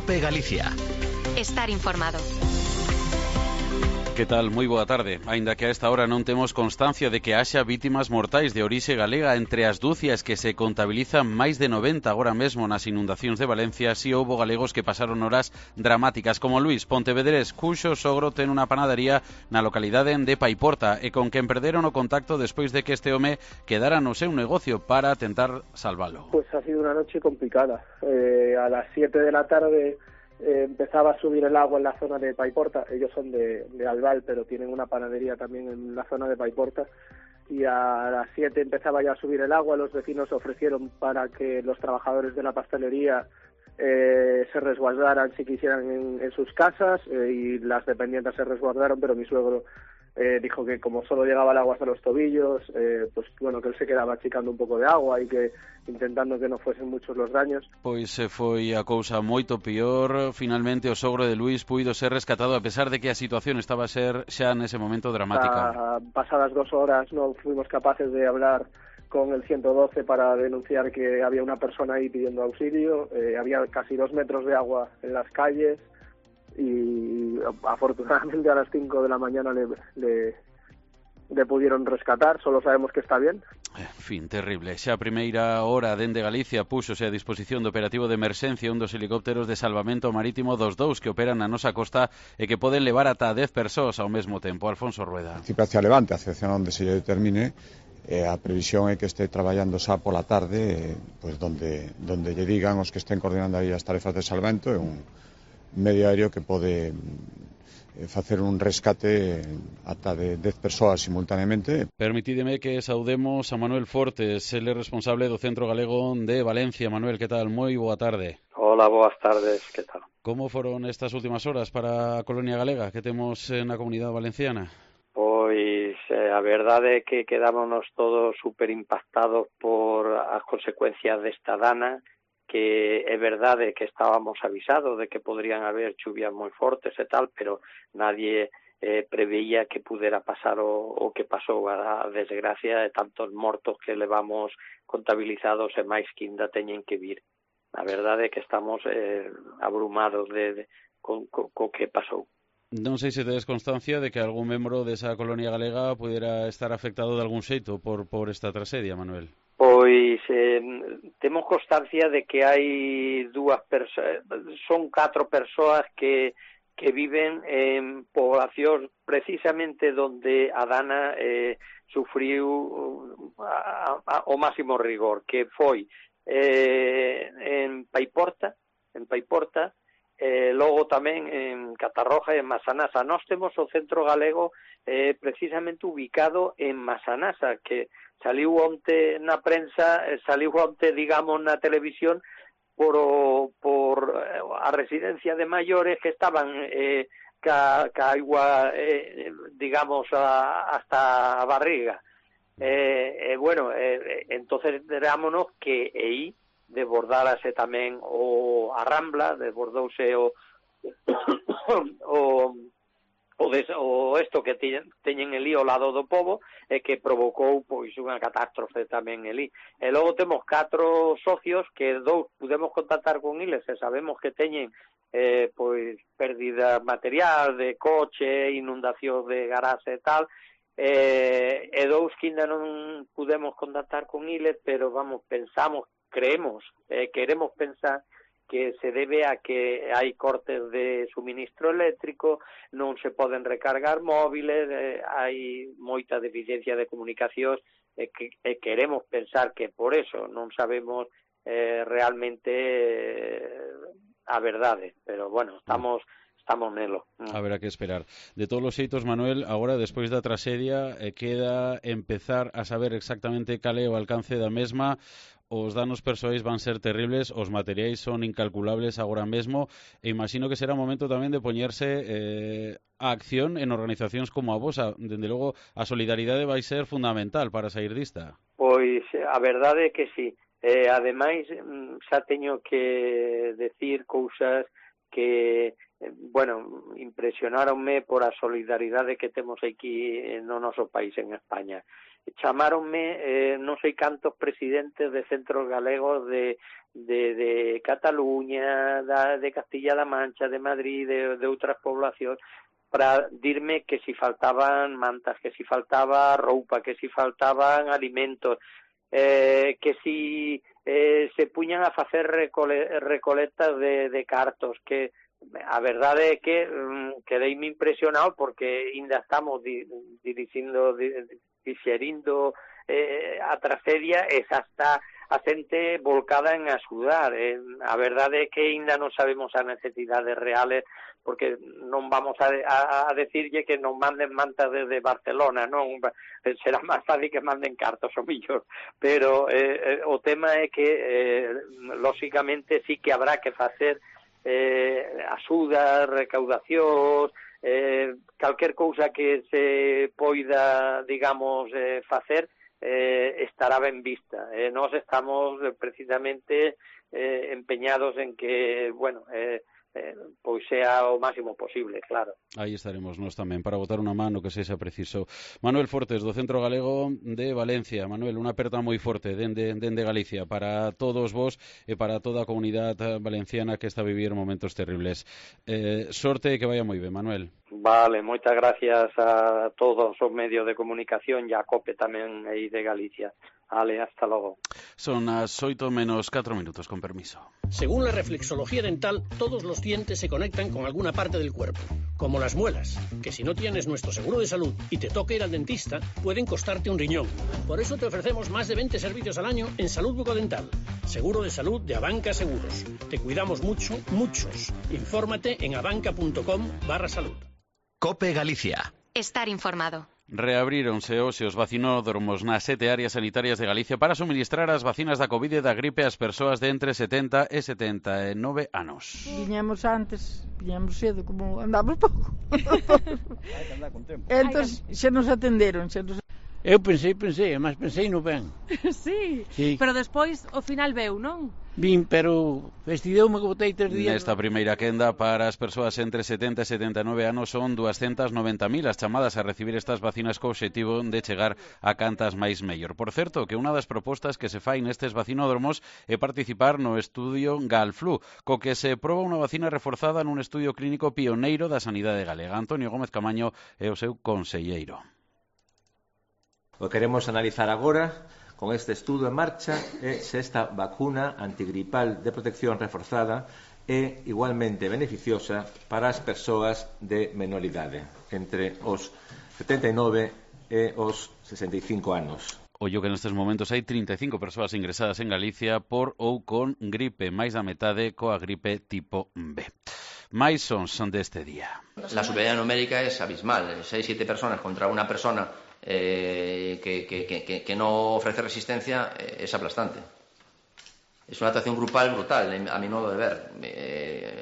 COPE Galicia. Estar informado. Que tal? Moi boa tarde. Aínda que a esta hora non temos constancia de que haxa vítimas mortais de orixe galega entre as dúcias que se contabilizan máis de 90 agora mesmo nas inundacións de Valencia, si houbo galegos que pasaron horas dramáticas, como Luís Pontevedrés, cuxo sogro ten unha panadería na localidade de Paiporta e con quen perderon o contacto despois de que este home quedara no seu negocio para tentar salvalo. Pues ha sido una noche complicada. A las 7 de la tarde empezaba a subir el agua en la zona de Paiporta. Ellos son de Albal, pero tienen una panadería también en la zona de Paiporta. Y a las 7 empezaba ya a subir el agua. Los vecinos ofrecieron para que los trabajadores de la pastelería se resguardaran si quisieran en sus casas, y las dependientes se resguardaron, pero mi suegro dijo que como solo llegaba el agua hasta los tobillos, pues bueno, que él se quedaba achicando un pouco de agua e que intentando que non fuesen muchos los daños. Pois foi a cousa moito peor. Finalmente o sogro de Luís puido ser rescatado a pesar de que a situación estaba a ser xa nese momento dramática. Pasadas 2 horas non fuimos capaces de hablar con el 112 para denunciar que había una persona ahí pidiendo auxilio. Había casi 2 metros de agua en las calles y afortunadamente a las 5 de la mañana le pudieron rescatar. Solo sabemos que está bien. En fin, terrible. Xa a primeira hora dende Galicia púxose a disposición do operativo de emerxencia un dos helicópteros de salvamento marítimo dos dous que operan na nosa costa e que poden levar ata 10 persoas ao mesmo tempo. Alfonso Rueda. Principio hacia Levante, hacia onde se lle determine. A previsión é que este traballando xa pola tarde, pois donde lle digan os que estén coordinando aí as tarefas de salvamento, é un medio aéreo que pode facer un rescate ata de 10 persoas simultaneamente. Permitídeme que saudemos a Manuel Fortes, ele é responsable do Centro Galego de Valencia. Manuel, que tal? Moi boa tarde. Hola, boas tardes, que tal? Como foron estas últimas horas para a colonia galega que temos na comunidade valenciana? Pois a verdade é que quedámonos todos super impactados por as consecuencias desta dana, que é verdade que estábamos avisados de que podrían haber chuvias moi fortes e tal, pero nadie preveía que pudera pasar o que pasou. A desgracia de tantos mortos que levamos contabilizados e máis que ainda teñen que vir. A verdade é que estamos abrumados co que pasou. Non sei se tedes constancia de que algún membro desa colonia galega pudera estar afectado de algún xeito por esta tragedia, Manuel. Pois temos constancia de que hai son 4 persoas que viven en poblacións precisamente donde a dana sufriu o máximo rigor, que foi en Paiporta, logo tamén en Catarroja e en Masanasa. Nós temos o Centro Galego precisamente ubicado en Masanasa, que saliu onte na prensa, saliu onte, digamos, na televisión por a residencia de maiores que estaban ca agua, digamos, hasta a barriga. Bueno, entonces derámonos que aí desbordárase tamén a Rambla, desbordouse o isto que teñen elí ao lado do pobo, e que provocou pois unha catástrofe tamén elí. E logo temos 4 socios que 2 pudemos contactar con eles e sabemos que teñen pois pérdida material de coche, inundación de garaxe e tal, e 2 que ainda non pudemos contactar con eles, pero vamos, queremos pensar que se debe a que hai cortes de suministro eléctrico, non se poden recargar móviles, hai moita deficiencia de comunicacións, e queremos pensar que por eso non sabemos realmente a verdade, pero bueno, estamos nelo. Haberá que esperar. De todos os xeitos, Manuel, agora, despois da traxedia, queda empezar a saber exactamente cal é o alcance da mesma. Os danos persoais van ser terribles, os materiais son incalculables agora mesmo, e imagino que será o momento tamén de poñerse a acción en organizacións como a vosa. Dende logo, a solidaridade vai ser fundamental para sair dista. Pois a verdade é que sí. Ademais, xa teño que decir cousas que, bueno, impresionáronme por a solidaridade que temos aquí no noso país, en España. chamáronme non sei cantos presidentes de centros galegos de Cataluña, de Castilla-La Mancha, de Madrid, de outras poblacións, para dirme que si faltaban mantas, que si faltaba roupa, que si faltaban alimentos, que si se puñan a facer recolectas de cartos, que a verdade é que quedeime impresionado porque ainda estamos dixerindo a tragedia e xa está a xente volcada en axudar. A verdade é que ainda non sabemos as necesidades reales, porque non vamos a decirlle que nos manden mantas desde Barcelona, non será máis fácil que manden cartos o millor, pero o tema é que lóxicamente sí que habrá que facer axudas, recaudacións, calquer cousa que se poida, digamos, facer, estará ben vista. Nós estamos precisamente empeñados en que, bueno, pois sea o máximo posible, claro. Aí estaremos nós tamén para botar unha mano que sexa preciso. Manuel Fortes, do Centro Galego de Valencia. Manuel, unha aperta moi forte dende Galicia para todos vos e para toda a comunidade valenciana que está a vivir momentos terribles. Sorte e que vaya moi ben, Manuel. Vale, moitas gracias a todos os medios de comunicación e a COPE tamén aí de Galicia. Vale, hasta logo. Son as 8:04, con permiso. Según la reflexología dental, todos los dientes se conectan con alguna parte del cuerpo, como las muelas, que si no tienes nuestro seguro de salud y te toca ir al dentista, pueden costarte un riñón. Por eso te ofrecemos más de 20 servicios al año en salud bucodental. Seguro de salud de Abanca Seguros. Te cuidamos mucho, muchos. Infórmate en abanca.com/salud. COPE Galicia. Estar informado. Reabríronse hoxe os vacinódromos nas 7 áreas sanitarias de Galicia para suministrar as vacinas da Covid e da gripe ás persoas de entre 70 e 79 anos. Viñamos cedo, como andamos pouco. Hai que andar con tempo. Entón, xa nos atenderon, Eu pensei, mas pensei no ben. Sí, pero despois o final veu, non? Vin, pero vestideume que botei 3 días. Nesta primeira quenda para as persoas entre 70 e 79 anos son 290.000 as chamadas a recibir estas vacinas co obxectivo de chegar a cantas máis mellor. Por certo, que unha das propostas que se fai nestes vacinódromos é participar no estudio Galflu, co que se proba unha vacina reforzada nun estudio clínico pioneiro da sanidade galega. Antonio Gómez Camaño é o seu conselleiro. O que queremos analizar agora con este estudo en marcha é se esta vacuna antigripal de protección reforzada é igualmente beneficiosa para as persoas de menor idade, entre os 79 e os 65 anos. Ollo que nestes momentos hai 35 persoas ingresadas en Galicia por ou con gripe, máis da metade coa gripe tipo B. Máis son deste día. La superioridad numérica es abismal, 6-7 personas contra una persona que no ofrece resistencia es aplastante. Es una actuación grupal brutal, a mi modo de ver.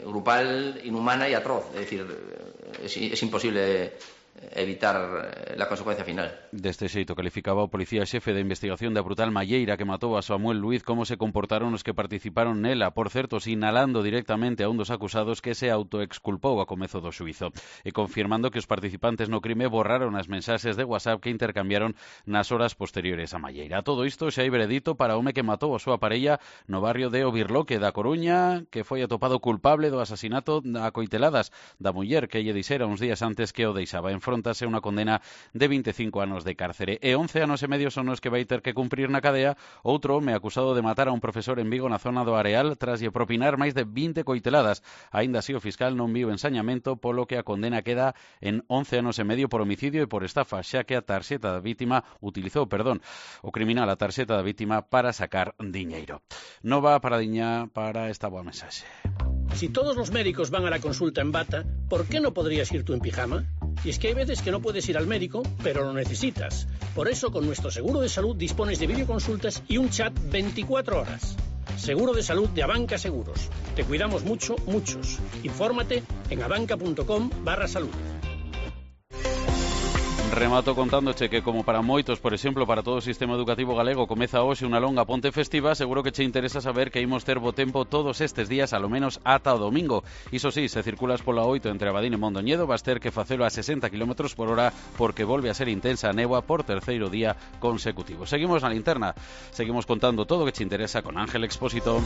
Grupal, inhumana y atroz. Es decir, es imposible evitar la consecuencia final. Deste xeito calificaba o policía xefe de investigación da brutal malleira que matou a Samuel Luiz como se comportaron os que participaron nela, por certo, sinalando directamente a un dos acusados que se autoexculpou a comezo do xuízo e confirmando que os participantes no crime borraron as mensaxes de WhatsApp que intercambiaron nas horas posteriores á malleira. Todo isto xa hai veredito para o home que matou a súa parella no barrio de Obirloque da Coruña, que foi atopado culpable do asasinato a coiteladas da muller que lle dixera uns días antes que o deixaba. Enfróntase unha condena de 25 anos de cárcere e 11 anos e medio son os que vai ter que cumprir na cadea outro home acusado de matar a un profesor en Vigo na zona do Areal tras lle propinar máis de 20 coiteladas. Aínda así o fiscal non viu ensañamento, polo que a condena queda en 11 anos e medio por homicidio e por estafa, xa que a tarxeta da vítima utilizou, o criminal a tarxeta da vítima para sacar diñeiro. Nova paradiña para esta boa mensaxe. Si todos los médicos van a la consulta en bata, ¿por qué no podrías ir tú en pijama? Y es que hay veces que no puedes ir al médico, pero lo necesitas. Por eso, con nuestro seguro de salud dispones de videoconsultas y un chat 24 horas. Seguro de salud de Abanca Seguros. Te cuidamos mucho, muchos. Infórmate en abanca.com/salud. remato contándoche que como para moitos, por exemplo, para todo o sistema educativo galego comeza hoxe unha longa ponte festiva, seguro que che interesa saber que imos ter bo tempo todos estes días, alo menos ata o domingo. Iso sí, se circulas pola 8 entre Abadín e Mondoñedo, vas ter que facelo a 60 km/h porque volve a ser intensa a néboa por terceiro día consecutivo. Seguimos na linterna, seguimos contando todo o que che interesa con Ángel Expósito.